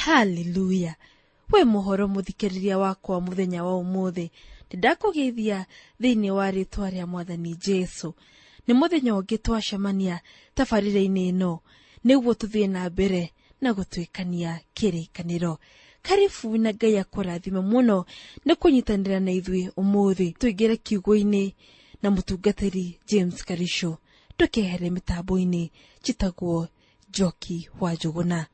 Haleluya! We muhoro muthikiriria wakwa muthenya wa umuthi, ndakũgeithia thĩinĩ wa rĩtwa rĩa Mwathani Jesu. Nĩ mũthenya ũngĩ twacemania tabarĩra-inĩ ĩno nĩguo tũthiĩ na mbere na gũtuĩkania kĩrĩkanĩro. Karibu na Ngai akũrathime mũno nĩ kũnyitanĩra na ithuĩ ũmũthĩ. Tũingĩre kiugo-inĩ na mũtungatĩri James Karisho. Ndũkehere mĩtambo-inĩ, njĩtagwo Njoki wa Njũgũna.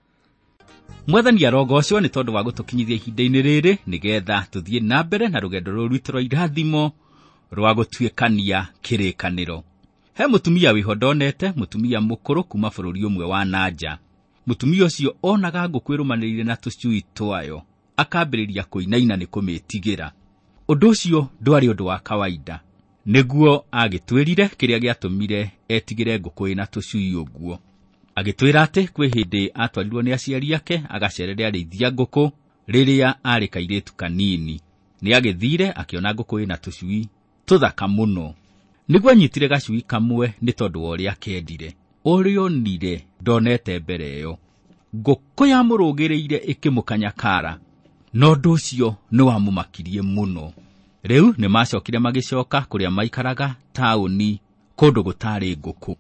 Mwathani arogocwo nĩ tondũ wa gũtũkinyithia ihinda-inĩ rĩrĩ nĩgetha tũthiĩ na mbere na rũgendo rũrũ rwitũ rwa irathimo rwa gũtuĩkania kĩrĩkanĩro. He mũtumia wĩho ndonete, mũtumia mũkũrũ kuma bũrũri ũmwe wa nanja. Mũtumia ũcio onaga ngũkũ ĩrũmanĩrĩire na tũcui twayo, akambĩrĩria kũinaina nĩ kũmĩtigĩra. Ũndũ ũcio ndwarĩ ũndũ wa kawaida. Nĩguo agĩtwĩrire kĩrĩa gĩatũmire etigĩre ngũkũ ĩna tũcui ũguo. Agĩtwĩra atĩ kwĩ hĩndĩ atwarirwo nĩ aciari ake agacerere arĩithia ngũkũ rĩrĩa arĩ kairĩtu kanini. Nĩ agĩthire akĩona ngũkũ ĩna tũcui tũthaka mũno. Nĩguo anyitire gacui kamwe nĩ tondũ wa ũrĩa akendire. Ũrĩa onire ndonete mbere ĩyo. Ngũkũ yamũrũgĩrĩire ĩkĩmũkanya kara, na ũndũ ũcio nĩ wamũmakirie mũno. Rĩu nĩ macokire magĩcoka kũrĩa maikaraga taũni kũndũ gũtarĩ ngũkũ.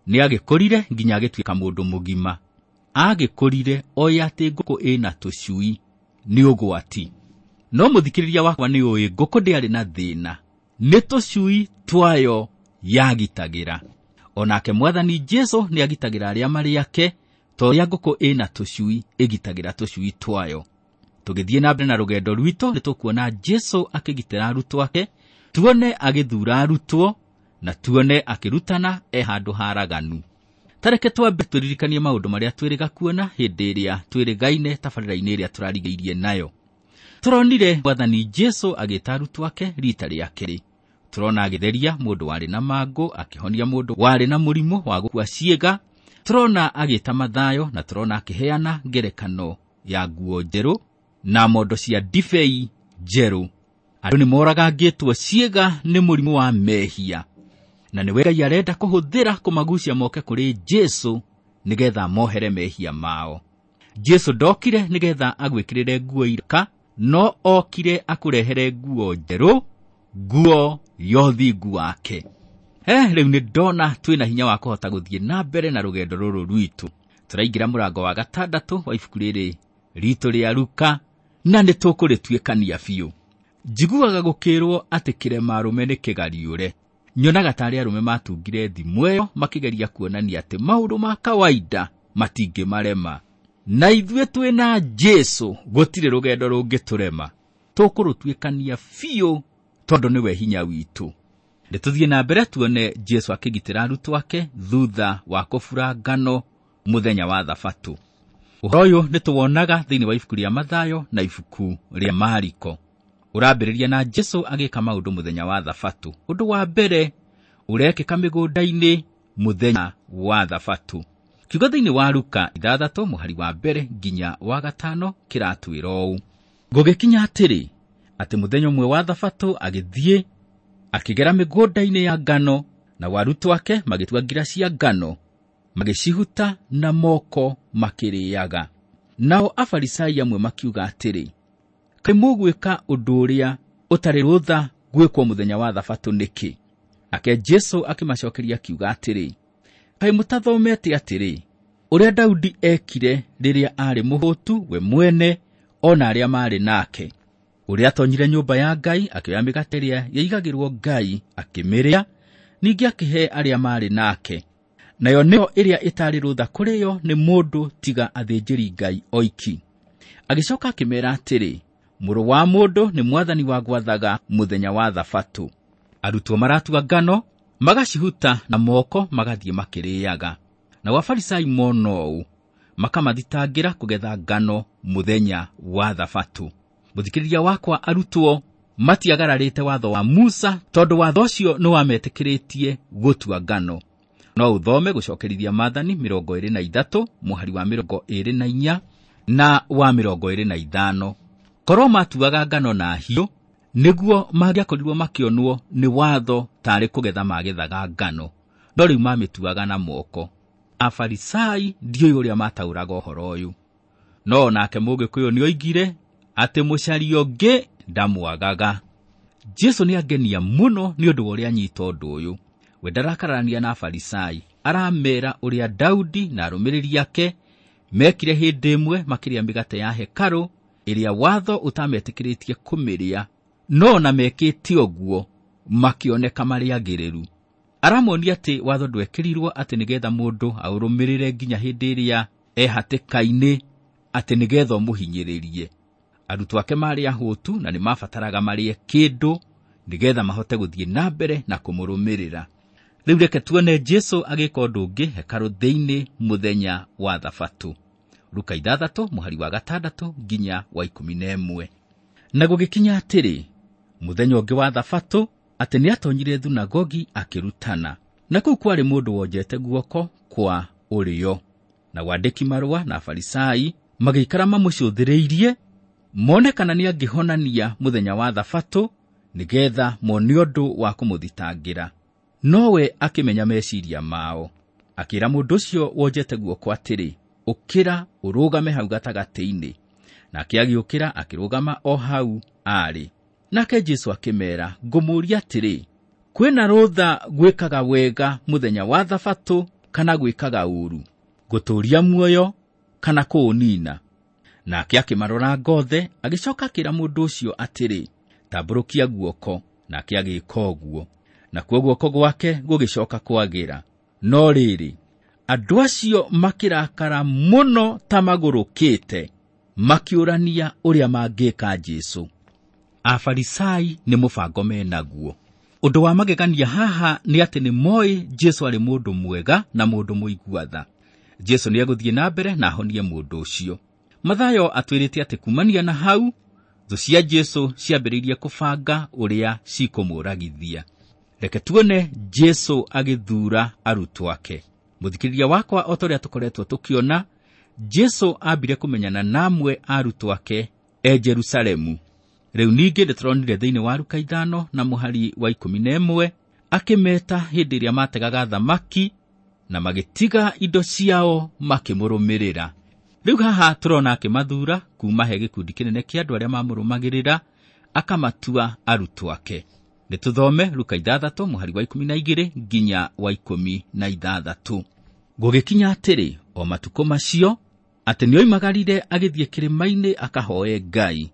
Nĩ agĩkũrire nginya agĩtuĩka mũndũ mũgima. Agĩkũrire oĩ atĩ ngũkũ ĩna tũcui nĩ ũgwati. No mũthikĩrĩria wakwa nĩ ũĩ ngũkũ ndĩarĩ na thĩna, nĩ tũcui twayo yagitagĩra. Onake Mwathani Jesu nĩ agitagĩra arĩa marĩ ake, ta ũrĩa ngũkũ ĩna tũcui ĩgitagĩra tũcui twayo. Tũgĩthiĩ na mbere na rũgendo rwitũ nĩ tũkuona Jesu akĩgitĩra arutwo ake, tuone agĩthuura arutwo na tuone akĩrutana e handũ haraganu. Tareke twambe tũririkanie maũndũ marĩa twĩrĩga kuona hĩndĩ ĩrĩa twĩrĩgaine tabarĩra-inĩ ĩrĩa tũrarigĩirie nayo. Tũronire Mwathani Jesu agĩta arutwo ake rita rĩa kerĩ. Tũrona agĩtheria mũndũ warĩ na mangũ, akĩhonia mũndũ warĩ na mũrimũ wa gũkua ciĩga. Tũrona agĩta Mathayo na tũrona akĩheana ngerekano ya nguo njerũ na mondo cia ndibei njerũ. Andũ nĩ moragangĩtwo ciĩga nĩ mũrimũ wa mehia, na nĩwe Ngai arenda kũhũthĩra kũmagucia moke kũrĩ Jesu nĩgetha mohere mehia mao. Jesu ndokire nĩgetha agwĩkĩrĩre nguo iraka, no okire akũrehere nguo njerũ, nguo ya ũthingu wake. Rĩu nĩ ndona twĩna hinya wa kũhota gũthiĩ na mbere na rũgendo rũrũ rwitũ. Tũraingĩra mũrango wa gatandatũ wa ibuku rĩrĩ ritũ rĩa Luka, na nĩ tũkũrĩtuĩkania biũ. Njiguaga gũkĩrwo atĩ kĩrema arũme nĩ kĩgariũre. Nyonaga tarĩ arũme matungire thimũ ĩyo makĩgeria kuonania atĩ maũndũ ma kawaida matingĩmarema. Na ithuĩ twĩna Jesu gũtirĩ rũgendo rũngĩtũrema. Tũkũrũtuĩkania biũ tondũ nĩwe hinya witũ. Nĩ tũthiĩ na mbere tuone Jesu akĩgitĩra arutwo ake thutha wa kũbura ngano mũthenya wa Thabatũ. Ũhoro ũyũ nĩ tũwonaga thĩinĩ wa ibuku rĩa Mathayo na ibuku rĩa Mariko. Ũrambĩrĩria na Jesu agĩka maũndũ mũthenya wa Thabatũ. Ũndũ wa mbere ũrekĩka mĩgũnda-inĩ mũthenya wa Thabatũ. Kiugo thĩinĩ wa Luka 6 mũhari wa mbere nginya wa 5 kĩratwĩra ũũ: Gũgĩkinya atĩrĩ, atĩ mũthenya ũmwe wa Thabatũ agĩthiĩ akĩgera mĩgũnda-inĩ ya ngano, na arutwo ake magĩtua ngira cia ngano, magĩcihuta na moko makĩrĩaga. Nao Afarisai amwe makiuga atĩrĩ, Kaĩ mũgwĩka ũndũ ũrĩa ũtarĩ rũtha gwĩkwo mũthenya wa Thabatũ nĩkĩ? Nake Jesu akĩmacokeria akiuga atĩrĩ, Kaĩ mũtathomete atĩrĩ, ũrĩa Daudi ekire rĩrĩa aarĩ mũhũtu we mwene ona arĩa maarĩ nake, ũrĩa atonyire nyũmba ya Ngai akĩoya mĩgate ĩrĩa yaigagĩrwo Ngai akĩmĩrĩa, ningĩ akĩhe arĩa maarĩ nake, nayo nĩyo ĩrĩa ĩtarĩ rũtha kũrĩo nĩ mũndũ tiga athĩnjĩri Ngai oiki. Agĩcoka akĩmeera atĩrĩ, Mũrũ wa mũndũ nĩ mwathani wa gwathaga mũthenya wa Thabatũ. Arutwo maratua ngano magacihuta na moko magathiĩ makĩrĩaga. Nao Afarisai mona ũũ makamathitangĩra kũgetha ngano mũthenya wa Thabatũ. Mũthikĩrĩria wakwa, arutwo matiagararĩte watho wa Musa tondũ watho ũcio nĩ wametĩkĩrĩtie gũtua ngano. No ũthome gũcokerithia Maathani 23 mũhari wa 24 na wa 25. Korwo matuaga ngano na hiũ nĩguo mangĩakorirwo makĩonwo nĩ watho tarĩ kũgetha magethaga ngano, no rĩu mamĩtuaga na moko. Afarisai ndiũĩ ũrĩa mataũraga ũhoro ũyũ. No nake Mũgĩkũyũ nĩoigire atĩ mũcaria ũngĩ ndamwagaga. Jesu nĩangenia mũno nĩ ũndũ wa ũrĩa anyita ũndũ ũyũ. We ndarakararania na Afarisai, aramera ũrĩa Daudi na arũmĩrĩri ake mekire hĩndĩ ĩmwe makĩrĩa mĩgate ya hekarũ ĩrĩa watho ũtametĩkĩrĩtie kũmĩrĩa, no ona mekĩte ũguo makĩoneka marĩ agĩrĩru. Aramonia atĩ watho ndwekĩrirwo atĩ nĩgetha mũndũ aũrũmĩrĩre nginya hĩndĩ ĩrĩa ehatĩka-inĩ, atĩ nĩgetha ũmũhinyĩrĩrie. Arutwo ake marĩ ahũtu na nĩmabataraga marĩe kĩndũ nĩgetha mahote gũthiĩ na mbere na kũmũrũmĩrĩra. Rĩu reke tuone Jesu agĩka ũndũ ũngĩ hekarũ thĩinĩ mũthenya wa Thabatũ. Luka 6 mũhari wa 6 nginya wa 11. Na gũgĩkinya atĩrĩ, mũthenya ũngĩ wa Thabatũ, atĩ nĩatonyire thunagogi akĩrutana, na kũu kwarĩ mũndũ wonjete guoko kwa ũrĩo. Na wandĩki marũa na Afarisai magĩikara mamũcũthĩrĩirie mone kana nĩangĩhonania mũthenya wa Thabatũ nĩgetha mone ũndũ wa kũmũthitangĩra. Nowe akĩmenya meciria mao, akĩra mũndũ ũcio wonjete guoko atĩrĩ, ũkĩra ũrũgame hau gatagatĩ-inĩ. Nake agĩũkĩra akĩrũgama o hau aarĩ. Nake Jesu akĩmera, ngũmũũria atĩrĩ, kwĩna rũtha gwĩkaga wega mũthenya wa Thabatũ kana gwĩkaga ũũru, gũtũũria muoyo kana kũũnina? Nake akĩmarora ngothe, agĩcoka akĩra mũndũ ũcio atĩrĩ, tambũrũkia guoko. Nake agĩĩka ũguo, nakuo guoko gwake gũgĩcoka kwagĩra. No rĩrĩ, andũ acio makĩrakara mũno ta magũrũkĩte, makĩũrania ũrĩa mangĩka Jesu. Afarisai nĩ mũbango menaguo. Ũndũ wa magegania haha nĩ atĩ nĩ moĩ Jesu arĩ mũndũ mwega na mũndũ mũigua tha. Jesu nĩegũthiĩ na mbere na ahonie mũndũ ũcio. Mathayo atwĩrĩte atĩ kumania na hau, thũ cia Jesu ciambĩrĩirie kũbanga ũrĩa cikũmũragithia. Reke tuone Jesu agĩthuura arutwo ake. Mũthikĩrĩria wakwa, o ta ũrĩa tũkoretwo tũkĩona, Jesu ambire kũmenyana na amwe a arutwo ake e Jerusalemu. Rĩu ningĩ nĩtũronire thĩinĩ wa Luka 5 na mũhari wa 11 akĩmeta hĩndĩ ĩrĩa mategaga thamaki na magĩtiga indo ciao makĩmũrũmĩrĩra. Rĩu haha tũrona akĩmathuura kuma he gĩkundi kĩnene kĩa andũ arĩa mamũrũmagĩrĩra, akamatua arutwo ake. Nĩtũthome Luka 6 mũhari wa 12 nginya wa 16. Gũgĩkinya atĩrĩ, o matukũ macio, atĩ nĩoimagarire agĩthiĩ kĩrĩma-inĩ akahoe Ngai,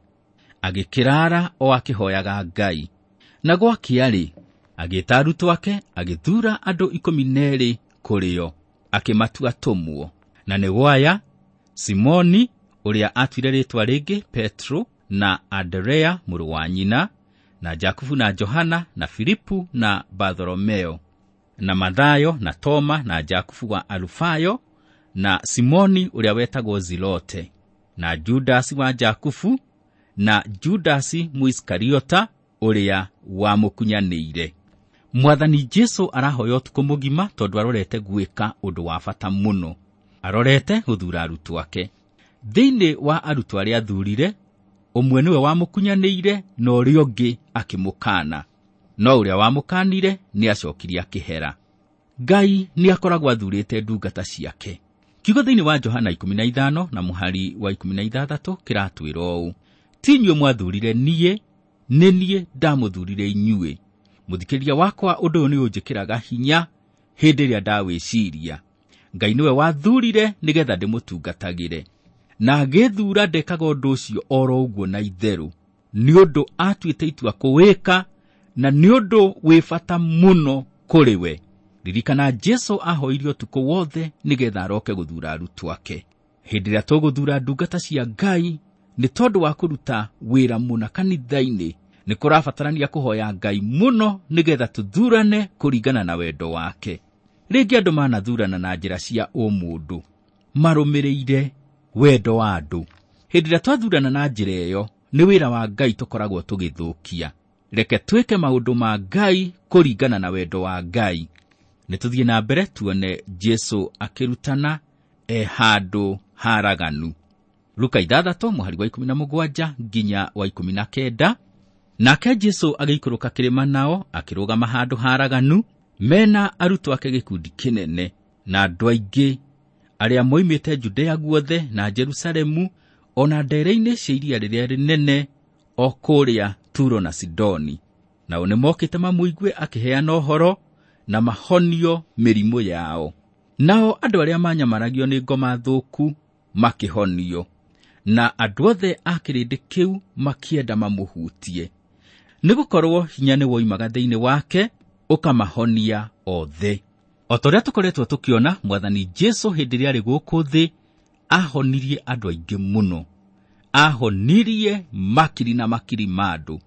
agĩkĩrara o akĩhoyaga Ngai. Na gwakĩa-rĩ, agĩĩta arutwo ake, agĩthuura andũ 12 kũrĩo, akĩmatua atũmwo. Na nĩ gwaya Simoni, ũrĩa atuire rĩĩtwa rĩngĩ Petro, na Anderea mũrũ wa nyina, na Jakubu na Johana, na Filipu na Bartholomeo, na Mathayo na Toma, na Jakubu wa Alufayo, na Simoni ũrĩa wetagwo Zilote, na Judasi wa Jakubu, na Judasi Mũisikariota ũrĩa wamũkunyanĩire. Mwathani Jesu arahoya ũtukũ mũgima tondũ arorete gwĩka ũndũ wa bata mũno. Arorete gũthuura arutwo ake. Thĩinĩ wa arutwo arĩa athurire, ũmwe nĩwe wamũkunyanĩire na ũrĩa ũngĩ akĩmũkaana. No ũrĩa wamũkanire nĩacokirie akĩhera. Ngai nĩakoragwo athurĩte ndungata ciake. Kiugo thĩinĩ wa Johana 15 na mũhari wa 16 kĩratwĩra ũũ: ti inyuĩ mwathurire niĩ, nĩ niĩ ndamũthurire inyuĩ. Mũthikĩrĩria wakwa, ũndũ ũyũ nĩũnjĩkĩraga hinya hĩndĩ ĩrĩa ndawĩciria. Ngai nĩwe wathurire nĩgetha ndĩmũtungatagĩre, na agĩthura ndekaga ũndũ ũcio oro ũguo na itherũ, nĩ ũndũ atuĩte itua kũwĩka, na nĩ ũndũ wĩ bata mũno kũrĩ we. Ririkana Jesu ahoirie ũtukũ wothe nĩgetha aroke gũthura arutwo ake. Hĩndĩ ĩrĩa tũgũthura ndungata cia Ngai nĩ tondũ wa kũruta wĩra mũna kanitha-inĩ, nĩ kũrabatarania kũhoya Ngai mũno nĩgetha tũthurane kũringana na wendo wake. Rĩngĩ andũ manathurana na njĩra cia ũmũndũ, marũmĩrĩire wendo wa andũ. Hĩndĩ ĩrĩa twathurana na njĩra ĩyo, nĩ wĩra wa Ngai tũkoragwo tũgĩthũkia. Reke twĩke maũndũ ma Ngai kũringana na wendo wa Ngai. Nĩtũthiĩ na mbere tuone Jesu akĩrutana e handũ haraganu. Luka 6 mũhari wa 17 nginya wa 19. Nake Jesu agĩikũrũka kĩrĩma nao, akĩrũgama handũ haraganu, mena arutwo ake gĩkundi kĩnene na andũ aingĩ Arĩa moimĩte Judea guothe na Jerusalemu, ona ndere-inĩ cia iria rĩrĩa rĩnene, o kũrĩa Turo na Sidoni. Nao nĩmokĩte mamũigue akĩheana ũhoro na mahonio mĩrimũ yao. Nao andũ arĩa manyamaragio nĩ ngoma thũku makĩhonio, na andũ othe a kĩrĩndĩ kĩu makĩenda mamũhutie, nĩgũkorwo hinya nĩwoimaga thĩinĩ wake ũkamahonia othe. O ta ũrĩa tũkoretwo tũkĩona, Mwathani Jesũ hĩndĩ ĩrĩa arĩ gũkũ thĩ ahonirie andũ aingĩ mũno, ahonirie makiri na makiri ma andũ.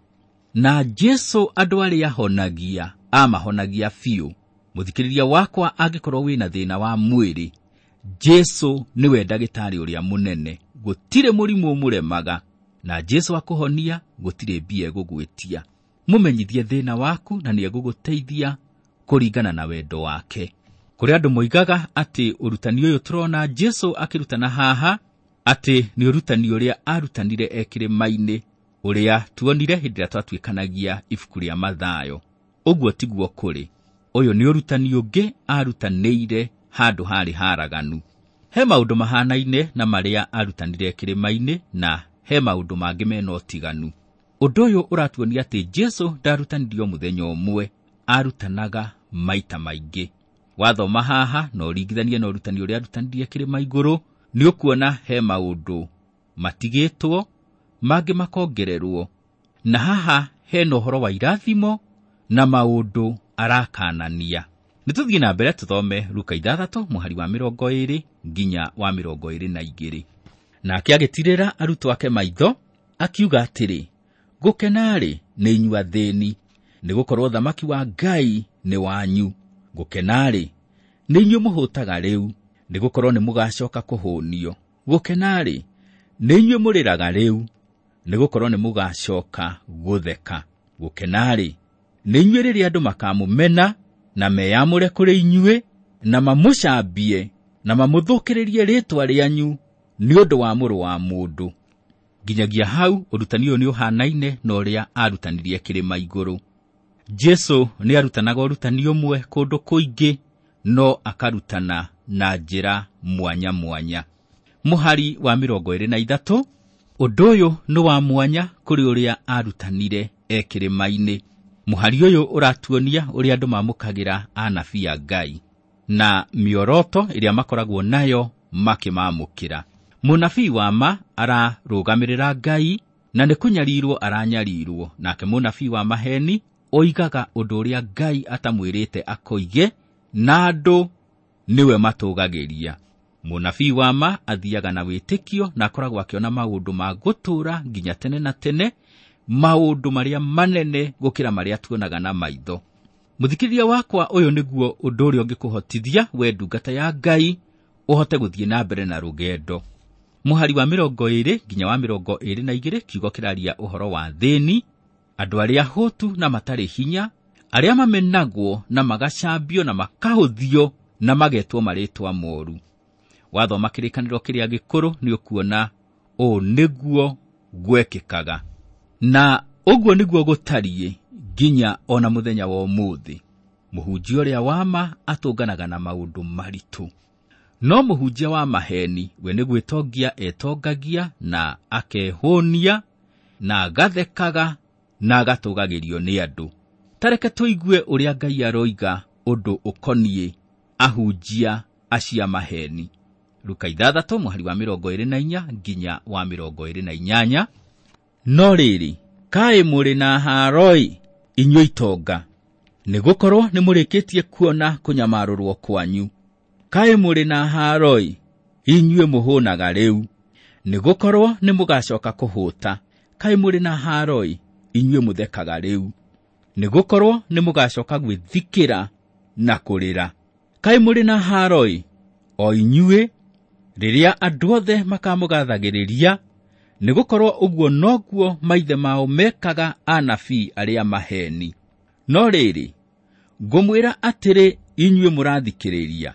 Na Jesũ andũ arĩa ahonagia amahonagia biũ. Mũthikĩrĩria wakwa, angĩkorwo wĩna thĩna wa mwĩrĩ, Jesũ nĩwe ndagĩtarĩ ũrĩa mũnene. Gũtirĩ mũrimũ ũmũremaga, na Jesũ akũhonia gũtirĩ mbia egũgwĩtia. Mũmenyithie thĩna waku na nĩegũgũteithia kũringana na wendo wake. Kũrĩ andũ moigaga atĩ ũrutani ũyũ tũrona Jesũ akĩrutana haha atĩ nĩ ũrutani ũrĩa arutanire e kĩrĩma-inĩ, ũrĩa tuonire hĩndĩ ĩrĩa twatuĩkanagia ibuku rĩa Mathayo. Ũguo tiguo kũrĩ. Ũyũ nĩ ũrutani ũngĩ arutanĩire handũ harĩ haraganu. He maũndũ mahanaine na marĩa arutanire kĩrĩma-inĩ, na he maũndũ mangĩ mena ũtiganu. Ũndũ ũyũ ũratuonia atĩ Jesũ ndarutanirio mũthenya ũmwe, arutanaga maita maingĩ. Wathoma haha na ũringithanie na ũrutani ũrĩa arutanirie kĩrĩma igũrũ, nĩ ũkuona he maũndũ matigĩtwo, mangĩ makongererwo. Na haha hena ũhoro wa irathimo na maũndũ arakanania. Nĩ tũthiĩ na mbere tũthome Luka 6 mũhari wa 20 nginya wa 22. Nake agĩtirĩra arutwo ake maitho, akiuga atĩrĩ, gũkena-rĩ nĩ inyuĩ athĩĩni, nĩgũkorwo ũthamaki wa Ngai nĩ wanyu. Gũkena-rĩ nĩ inyuĩ mũhũtaga rĩu, nĩgũkorwo nĩmũgacoka kũhũnio. Gũkena-rĩ nĩ inyuĩ mũrĩraga rĩu, nĩgũkorwo nĩmũgacoka gũtheka. Gũkena-rĩ nĩ inyuĩ rĩrĩa andũ makamũmena na meyamũre kũrĩ inyuĩ, na mamũcambie na mamũthũkĩrĩrie rĩĩtwa rĩanyu nĩ ũndũ wa Mũrũ wa Mũndũ. Nginyagia hau ũrutani ũyũ nĩ ũhanaine na ũrĩa arutanirie kĩrĩma igũrũ. Jesũ nĩ arutanaga ũrutani ũmwe kũndũ kũingĩ, no akarutana na njĩra mwanya mwanya. Mũhari wa 23, ũndũ ũyũ nĩ wa mwanya kũrĩ ũrĩa arutanire e kĩrĩma-inĩ. Mũhari ũyũ ũratuonia ũrĩa andũ mamũkagĩra anabii a Ngai na mĩoroto ĩrĩa makoragwo nayo makĩmamũkĩra. Mũnabii wa ma ararũgamĩrĩra Ngai na nĩ kũnyarirwo aranyarirwo, nake mũnabii wa maheni oigaga ũndũ ũrĩa Ngai atamwĩrĩte akoige, na andũ nĩwe matũgagĩria. Mũnabii wa ma athiaga na wĩtĩkio na akoragwo akĩona maũndũ ma gũtũũra nginya tene na tene, maũndũ marĩa manene gũkĩra marĩa tuonaga na maitho. Mũthikĩrĩria wakwa, ũyũ nĩguo ũndũ ũrĩa ũngĩkũhotithia we ndungata ya Ngai ũhote gũthiĩ na mbere na rũgendo. Mũhari wa 20 nginya wa 22, kiugo kĩraria ũhoro wa thĩni, andũ arĩa hũtu na matarĩ hinya, arĩa mamenagwo na magacambio na makahũthio na magetwo marĩtwa moru. Wathoma kĩrĩkanĩro kĩrĩa gĩkũrũ nĩ ũkuona ũũ nĩguo gwekĩkaga, na ũguo nĩguo gũtariĩ nginya ona mũthenya wa ũmũthĩ. Mũhunjia ũrĩa wa ma atũnganaga na maũndũ maritũ, no mũhunjia wa maheni we nĩ gwĩtongia etongagia na akehũnia na agathekaga na agatũgagĩrio nĩ andũ. Ta reke tũigue ũrĩa Ngai aroiga ũndũ ũkoniĩ ahunjia acia maheni. Luka 6 mũhari wa 24 nginya wa 28. No rĩrĩ, kaĩ mũrĩ na haroi inyuĩ itonga, nĩgũkorwo nĩmũrĩkĩtie kuona kũnyamarũrwo kwanyu. Kaĩ mũrĩ na haroi inyuĩ mũhũnaga rĩu, nĩgũkorwo nĩmũgacoka kũhũta. Kaĩ mũrĩ na haroi inyuĩ mũthekaga rĩu, nĩgũkorwo nĩmũgacoka gwĩthikĩra na kũrĩra. Kaĩ mũrĩ na haroi o inyuĩ rĩrĩa andũ othe makamũgathagĩrĩria, nĩgũkorwo ũguo noguo maithe mao mekaga anabii arĩa maheni. No rĩrĩ, ngũmwĩra atĩrĩ inyuĩ mũrathikĩrĩria,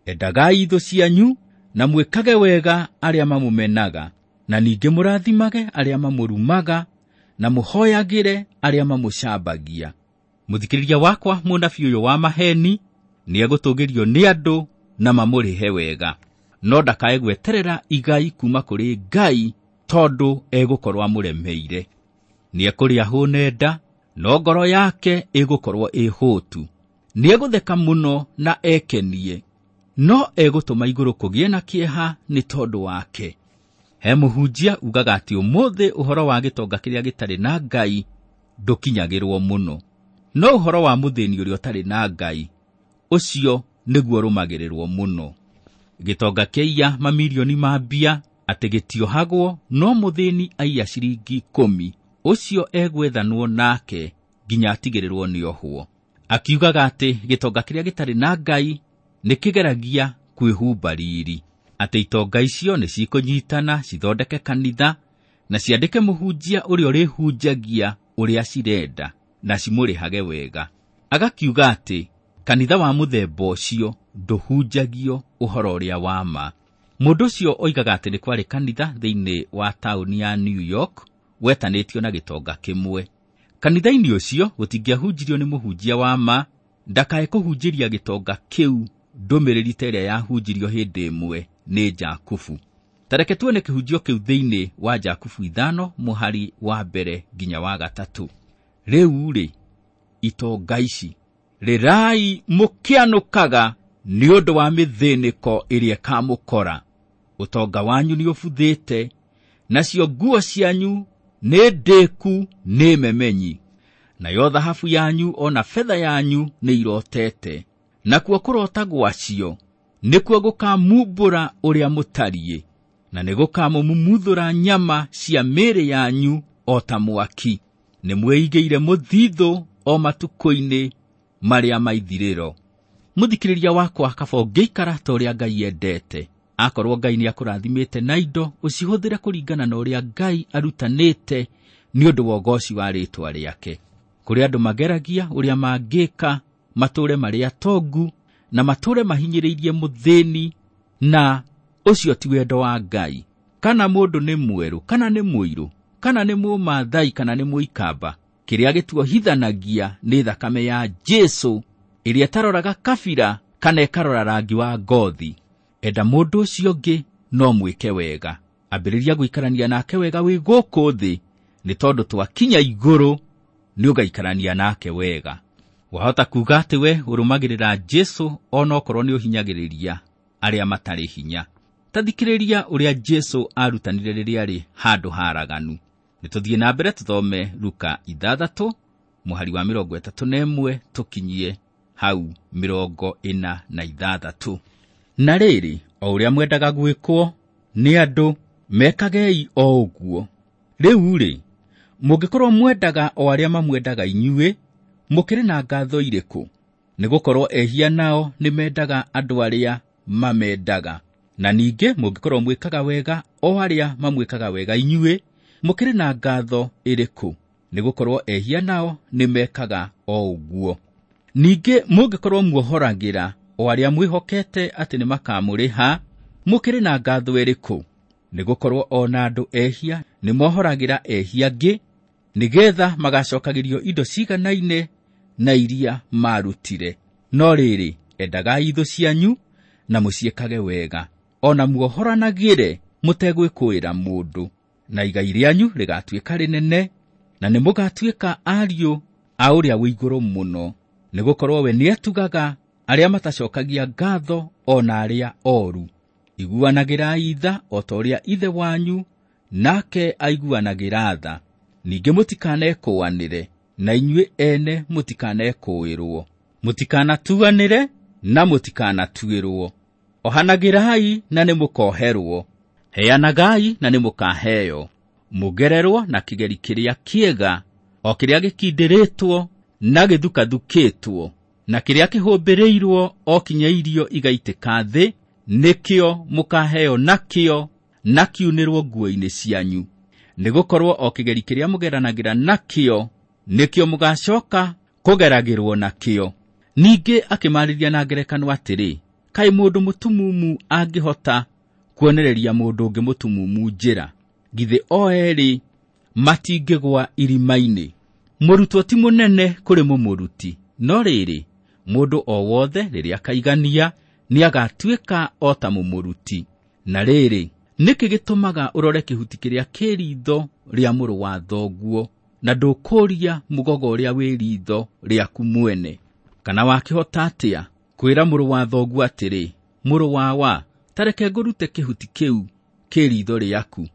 endagai thũ cianyu na mwĩkage wega arĩa mamũmenaga, na ningĩ mũrathimage arĩa mamũrumaga, na mũhoyagĩre arĩa mamũcambagia. Mũthikĩrĩria wakwa, mũnabii ũyũ wa maheni nĩegũtũgĩrio nĩ andũ na mamũrĩhe wega. No ndakae gweterera igai kuma kũrĩ Ngai tondũ egũkorwo amũremeire. Nĩekũrĩa hũne nda, no ngoro yake ĩgũkorwo ĩhũtu. Nĩegũtheka mũno na ekenie, no egũtũma igũrũ kũgĩe na kĩeha nĩ tondũ wake. He mũhunjia ugaga atĩ ũmũthĩ ũhoro wa gĩtonga kĩrĩa gĩtarĩ na Ngai ndũkinyagĩrwo mũno, no ũhoro wa mũthĩni ũrĩa ũtarĩ na Ngai ũcio nĩguo ũrũmagĩrĩrwo mũno. Gĩtonga kĩaiya mamirioni ma mbia atĩ gĩtiohagwo, no mũthĩni aiya ciringi 10 ũcio egwethanwo nake nginya atigĩrĩrwo nĩohwo. Akiugaga atĩ gĩtonga kĩrĩa gĩtarĩ na Ngai nĩkĩgeragia kwĩhumba riri, atĩ itonga icio nĩcikũnyitana cithondeke kanitha na ciandĩke mũhunjia ũrĩa ũrĩhunjagia ũrĩa cirenda na cimũrĩhage wega. Agakiuga atĩ kanitha wa mũthemba ũcio ndũhunjagio ũhoro ũrĩa wa ma. Mũndũ ũcio oigaga atĩ nĩ kwarĩ kanitha thĩinĩ wa taũni ya New York wetanĩtio na gĩtonga kĩmwe. Kanitha-inĩ ũcio gũtingĩahunjirio nĩ mũhunjia wa ma, ndakae kũhunjĩria gĩtonga kĩu ndũmĩrĩri ta ĩrĩa yahunjirio hĩndĩ ĩmwe nĩ Jakubu. Ta reke tuone kĩhunjio kĩu thĩinĩ wa Jakubu 5 mũhari wa 1 nginya wa 3. Rĩu-rĩ, itonga ici, rĩrai mũkĩanũkaga nĩ ũndũ wa mĩthĩnĩko ĩrĩa ĩkamũkora. Ũtonga wanyu nĩũbuthĩte, nacio nguo cianyu nĩ ndĩku nĩ memenyi, nayo thahabu yanyu ona betha yanyu nĩ irotete, nakuo kũrota gwacio nĩkuo gũkamumbũra ũrĩa mũtariĩ, na nĩgũkamũmumuthũra nyama cia mĩĩrĩ yanyu o ta mwaki. Nĩmwĩigĩire mũthithũ o matukũ-inĩ marĩa maithirĩro. Mũthikĩrĩria wakwa, kaba ũngĩikara ta ũrĩa Ngai endete. Akorwo Ngai nĩakũrathimĩte na indo, ũcihũthĩre kũringana na ũrĩa Ngai arutanĩte nĩ ũndũ wa ũgoci wa rĩĩtwa rĩake. Kũrĩ andũ mageragia ũrĩa mangĩka matũũre marĩ atongu na matũũre mahinyĩrĩirie mũthĩni, na ũcio ti wendo wa Ngai. Kana mũndũ nĩ mwerũ, kana nĩ mũirũ, kana nĩ mũmathai, kana nĩ mũikamba, kĩrĩa gĩtuohithanagia nĩ thakame ya Jesũ ĩrĩa ĩtaroraga kabira kana ĩkarora rangi wa ngothi. Enda mũndũ ũcio ũngĩ no mwĩke wega. Ambĩrĩria gũikarania nake wega wĩ gũkũ thĩ, nĩ tondũ twakinya igũrũ nĩũgaikarania nake wega. Wahota kuga atĩ we ũrũmagĩrĩra Jesũ onokorwo nĩũhinyagĩrĩria arĩa matarĩ hinya. Ta thikĩrĩria ũrĩa Jesũ arutanire rĩrĩa arĩ handũ haraganu. Nĩtũthiĩ na mbere tũthome Luka 6 mũhari wa 31 tũkinyie hau 46. Na rĩrĩ, o ũrĩa mwendaga gwĩkwo nĩ andũ, mekagei o ũguo. Rĩu-rĩ, mũngĩkorwo mwendaga o arĩa mamwendaga inyuĩ, mũkĩrĩ na ngatho irĩkũ? Nĩgũkorwo ehia nao nĩmendaga andũ arĩa mamendaga. Na ningĩ mũngĩkorwo mwĩkaga wega o arĩa mamwĩkaga wega inyuĩ, mũkĩrĩ na ngatho ĩrĩkũ? Nĩgũkorwo ehia nao nĩmekaga o ũguo. Ningĩ mũngĩkorwo muohoragĩra o arĩa mwĩhokete atĩ nĩmakamũrĩha, mũkĩrĩ na ngatho ĩrĩkũ? Nĩgũkorwo o na andũ ehia nĩmohoragĩra ehia angĩ, nĩgeetha magacokagĩrio indo ciganaine na iria maarutire. No rĩrĩ, endagai thũ cianyu na mũciĩkage wega, o na muohoranagĩre mũtegwĩkũĩra mũndũ, na igai rĩanyu rĩgatuĩka rĩnene, na nĩmũgatuĩka ariũ a ũrĩa wĩ igũrũ mũno, nĩgũkorwo we nĩetugaga arĩa matacokagia ngatho o na arĩa oru. Iguanagĩrai tha o ta ũrĩa Ithe wanyu nake aiguanagĩra tha. Ningĩ mũtikanekũanĩre, na inyuĩ ene mũtikanekũĩrwo. Mũtikanatuanĩre na mũtikanatuĩrwo. Ohanagĩrai na nĩmũkoherwo. Heanagai na nĩmũkaheo. Mũgererwo na kĩgeri kĩrĩa kĩega, o kĩrĩa gĩkindĩrĩtwo na gĩthukathukĩtwo, na kĩrĩa kĩhũmbĩrĩirwo o kinya irio igaitĩka thĩ, nĩkĩo mũkaheo nakĩo na kiunĩrwo nguo-inĩ cianyu. Nĩgũkorwo o kĩgeri kĩrĩa mũgeranagĩra nakĩo, nĩkĩo mũgacoka kũgeragĩrwo nakĩo. Ningĩ akĩmarĩria na ngerekano atĩrĩ, kaĩ mũndũ mũtumumu angĩhota kuonereria mũndũ ũngĩ mũtumumu njĩra? Githĩ o eerĩ matingĩgũa irima-inĩ? Mũrutwo ti mũnene kũrĩ mũmũruti, no rĩrĩ, mũndũ o wothe rĩrĩa akaigania nĩagatuĩka o ta mũmũruti. Na rĩrĩ, nĩkĩ gĩtũmaga ũrore kĩhuti kĩrĩa kĩ ritho rĩa mũrũ wa thoguo, na ndũkũũria mũgogo ũrĩa wĩ ritho rĩaku mwene? Kana wakĩhota atĩa kwĩra mũrũ wa thoguo atĩrĩ, mũrũ wawa, ta reke ngũrute kĩhuti kĩu kĩ ritho rĩaku,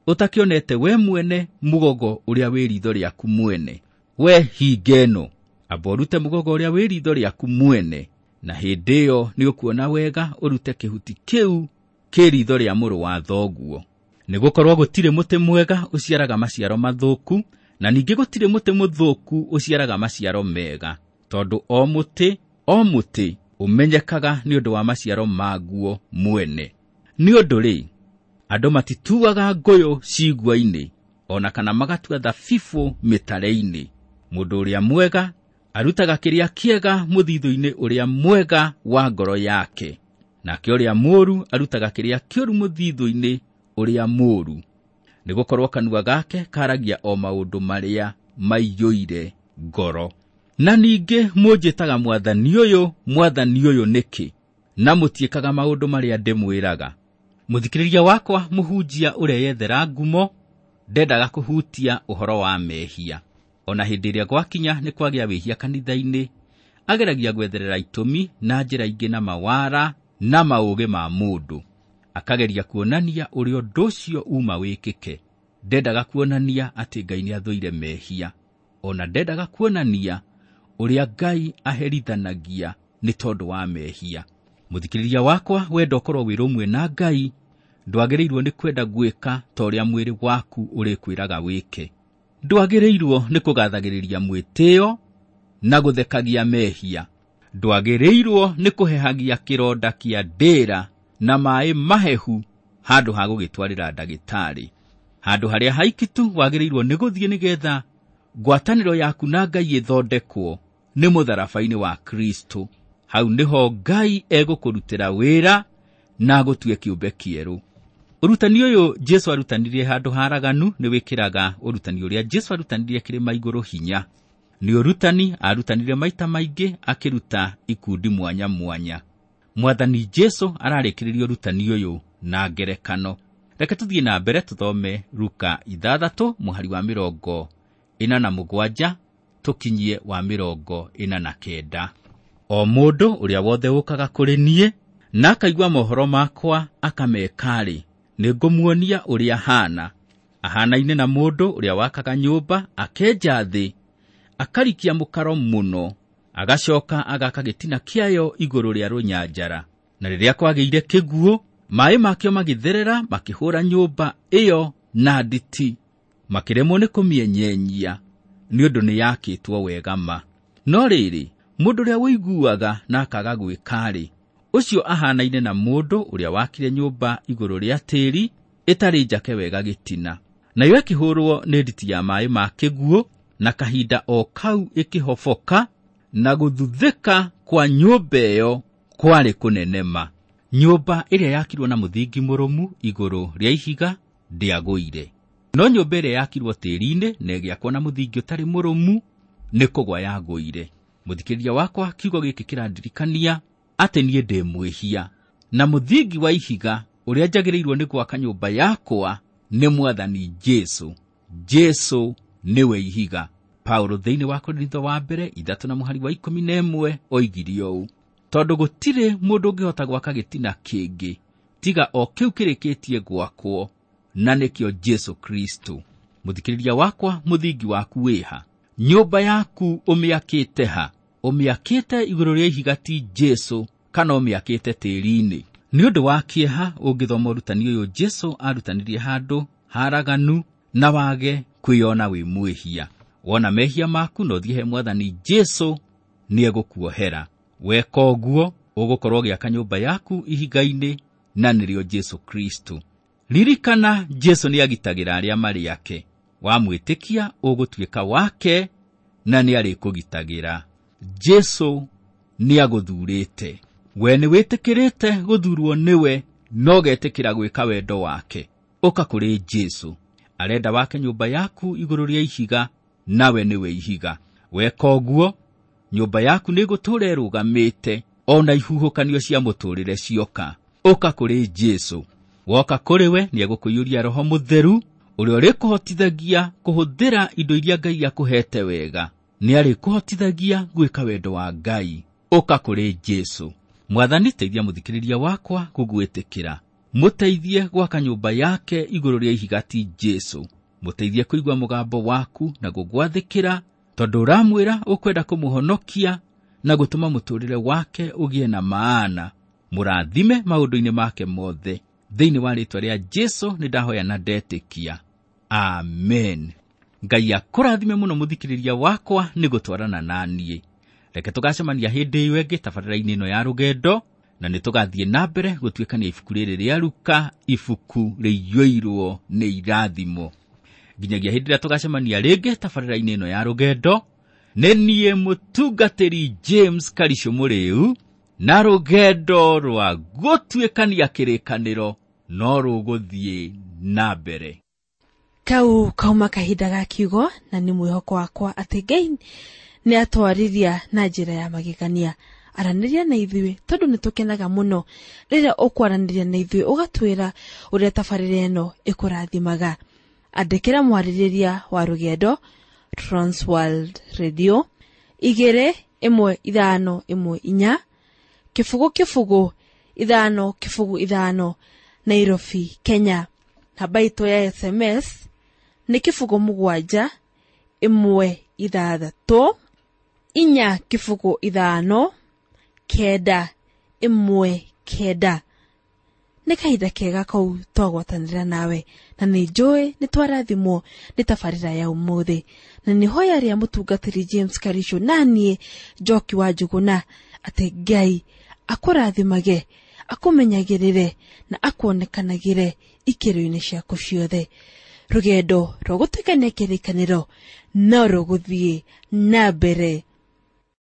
ũtakĩonete we mwene mũgogo ũrĩa wĩ ritho rĩaku mwene? We hinga ĩno, amba ũrute mũgogo ũrĩa wĩ ritho rĩaku mwene, na hĩndĩ ĩyo nĩũkuona wega ũrute kĩhuti kĩu kĩ ritho rĩa mũrũ wa thoguo. Nĩgũkorwo gũtirĩ mũtĩ mwega ũciaraga maciaro mathũku, na ningĩ gũtirĩ mũtĩ mũthũku ũciaraga maciaro mega, tondũ o mũtĩ ũmenyekaga nĩ ũndũ wa maciaro maguo mwene. Nĩ ũndũ rĩ, andũ matituaga ngũyũ cigua-inĩ, ona kana magatua thabibũ mĩtare-inĩ. Mũndũ ũrĩa mwega arutaga kĩrĩa kĩega mũthithũ-inĩ ũrĩa mwega wa ngoro yake, nake ũrĩa mũũru arutaga kĩrĩa kĩũru mũthithũ-inĩ ũrĩa mũũru. Nĩgũkorwo kanua gake karagia o maũndũ marĩa maiyũire ngoro. Na ningĩ mũnjĩtaga mwathani ũyũ, mwathani ũyũ nĩkĩ, na mũtiĩkaga maũndũ marĩa ndĩmwĩraga? Mũthikĩrĩria wakwa mũhunjia ũreyethera ngumo ndendaga kũhutia ũhoro wa mehia. Ona hĩndĩ ĩrĩa gwakinya nĩ kwagĩa wĩhia kanitha-inĩ, ageragia gwetherera itũmi na njĩra ingĩ na mawara na maũgĩ ma mũndũ. Akageria kuonania ũrĩa ũndũ ũcio uma wĩkĩke. Ndendaga kuonania atĩ Ngai nĩathũire mehia. Ona ndendaga kuonania ũrĩa Ngai aherithanagia nĩ tondũ wa mehia. Mũthikĩrĩria wakwa, wenda ũkorwo wĩ rũmwe na Ngai, ndwagĩrĩirwo nĩ kwenda gwĩka ta ũrĩa mwĩrĩ waku ũrĩkwĩraga wĩke. Ndwagĩrĩirwo nĩ kũgathagĩrĩria mwĩtĩo na gũthekagia mehia. Ndwagĩrĩirwo nĩ kũhehagia kĩronda kĩa ndĩra na maĩ mahehu handũ ha gũgĩtwarĩra ndagĩtarĩ. Handũ harĩa haikitu wagĩrĩirwo nĩ gũthiĩ nĩgetha ngwatanĩro yaku na Ngai ĩthondekwo nĩ mũtharaba-inĩ wa Kristo. Hau nĩho Ngai egũkũrutĩra wĩra na agũtue kĩũmbe kĩerũ. Ũrutani ũyũ Jesũ arutanirie handũ haraganu nĩ wĩkĩraga ũrutani ũrĩa Jesũ arutanirie kĩrĩma igũrũ hinya. Nĩ ũrutani arutanire maita maingĩ akĩruta ikundi mwanya mwanya. Mwathani Jesũ ararĩkĩrĩria ũrutani ũyũ na ngerekano. Reke tũthiĩ na mbere tũthome Luka 6 mũhari wa 47 tũkinyie wa 49. O mũndũ ũrĩa wothe ũkaga kũrĩ niĩ na akaigua mohoro makwa akameka-rĩ, nĩngũmuonia ũrĩa ahana. Ahanaine na mũndũ ũrĩa wakaga nyũmba akenja thĩ, akarikia mũkaro mũno, agacoka agaka gĩtina kĩayo igũrũ rĩa rũnyanjara. Na rĩrĩa kwagĩire kĩguũ, maĩ makĩo magĩtherera makĩhũra nyũmba ĩyo na nditi, makĩremwo nĩ kũmĩenyenyia nĩ ũndũ nĩyakĩtwo wega ma. No rĩrĩ, mũndũ ũrĩa ũiguaga na akaga gwĩka-rĩ, ũcio ahanaine na mũndũ ũrĩa wakire nyũmba igũrũ rĩa tĩĩri ĩtarĩ njake wega gĩtina. Nayo ĩkĩhũrwo nĩ nditi ya maĩ ma kĩguũ, na kahinda o kau ĩkĩhoboka, na gũthuthĩka kwa nyũmba ĩyo kwarĩ kũnene ma. Nyũmba ĩrĩa yakirwo na mũthingi mũrũmu igũrũ rĩa ihiga ndĩagũire. No nyũmba ĩrĩa yakirwo tĩĩri-inĩ na ĩgĩakwo na mũthingi ũtarĩ mũrũmu nĩ kũgwa yagũire. Mũthikĩrĩria wakwa, kiugo gĩkĩ kĩrandirikania atĩ niĩ ndĩ mwĩhia, na mũthingi wa ihiga ũrĩa njagĩrĩirwo nĩ gwaka nyũmba yakwa nĩ Mwathani Jesũ. Jesũ nĩwe ihiga. Paulo thĩinĩ wa Korintho wa mbere 3 na mũhari wa 11 oigire ũũ: tondũ gũtirĩ mũndũ ũngĩhota gwaka gĩtina kĩngĩ tiga o kĩu kĩrĩkĩtie gwakwo, na nĩkĩo Jesũ Kristo. Mũthikĩrĩria wakwa, mũthingi waku wĩha? Nyũmba yaku ũmĩakĩte ha? Ũmĩakĩte igũrũ rĩa ihiga ti Jesũ, kana ũmĩakĩte tĩĩri-inĩ? Nĩ ũndũ wa kĩeha ũngĩthoma ũrutani ũyũ Jesũ arutanirie handũ haraganu na wage kwĩyona wĩ mwĩhia. Wona mehia maku na ũthiĩ he Mwathani Jesũ, nĩegũkuohera. Weka ũguo, ũgũkorwo ũgĩaka nyũmba yaku ihiga-inĩ, na nĩrĩo Jesũ Kristo. Ririkana, Jesũ nĩagitagĩra arĩa marĩ ake. Wamwĩtĩkia, ũgũtuĩka wake, na nĩarĩkũgitagĩra. Jesũ nĩagũthurĩte. We nĩwĩtĩkĩrĩte gũthurwo nĩwe, no ũgetĩkĩra gwĩka wendo wake. Ũka kũrĩ Jesũ. Arenda wake nyũmba yaku igũrũ rĩa ihiga, nawe nĩwe ihiga. Weka ũguo, nyũmba yaku nĩĩgũtũũra ĩrũgamĩte, ona ihuhũkanio cia mũtũũrĩre cioka. Ũka kũrĩ Jesũ. Woka kũrĩ we nĩ egũkũiyũria Roho Mũtheru ũrĩa ũrĩkũhotithagia kũhũthĩra indo iria Ngai akũhete wega. Nĩ arĩkũhotithagia gwĩka wendo wa Ngai. Ũka kũrĩ Jesũ. Mwathani, teithia mũthikĩrĩria wakwa gũgwĩtĩkĩra. Mũteithie gwaka nyũmba yake igũrũ rĩa ihiga ti Jesũ. Mũteithie kũigua mũgambo waku na gũgwathĩkĩra, tondũ ũramwĩra ũkwenda kũmũhonokia na gũtũma mũtũũrĩre wake ũgĩe na maana. Mũrathime maũndũ-inĩ make mothe. Thĩinĩ wa rĩĩtwa rĩa Jesũ nĩ ndahoya na ndetĩkia. Amen. Ngai akũrathime mũno mũthikĩrĩria wakwa nĩ gũtwarana na niĩ. Reke tũgacemania hĩndĩ ĩyo ĩngĩ tabarĩra-inĩ ĩno ya rũgendo, na nĩ tũgathiĩ na mbere gũtuĩkania ibuku rĩrĩ rĩa Luka, ibuku rĩiyũirwo nĩ irathimo. Nginyagia hĩndĩ ĩrĩa tũgacemania rĩngĩ tabarĩra-inĩ ĩno ya rũgendo, nĩ niĩ mũtungatĩri James Karisũ Mũrĩu, na rũgendo rwa gũtuĩkania kĩrĩkanĩro no rũgũthiĩ na mbere. Kau kauma kahinda ga kiugo, na nĩ mwĩhoko wakwa atĩ Ngai nĩ atwarĩria na njĩra ya magegania. Aranĩria na ithuĩ tondũ nĩ tũkenaga mũno rĩrĩa ũkwaranĩria na ithuĩ ũgatwĩra ũrĩa tabarĩra ĩno ĩkũrathimaga. Andĩkĩra mwarĩrĩria wa rũgendo Transworld Radio 21514 0 0 5 0 5 Nairobi, Kenya. Namba itũ ya SMS nĩ 0 7 1 6 4 0 5 9 1 9. Nĩ kahinda kega kau twagwatanĩra nawe, na nĩ njũĩ nĩ twarathimwo nĩ tabarĩra ya ũmũthĩ, na nĩ hoya rĩa mũtungatĩri James Karisũ na niĩ Njoki wa Njũgũna atĩ Ngai akũrathimage, akũmenyagĩrĩre na akuonekanagĩre ikĩro-inĩ ciaku ciothe. Rũgendo rwa gũtuĩkania kĩrĩkanĩro no rũgũthiĩ na mbere.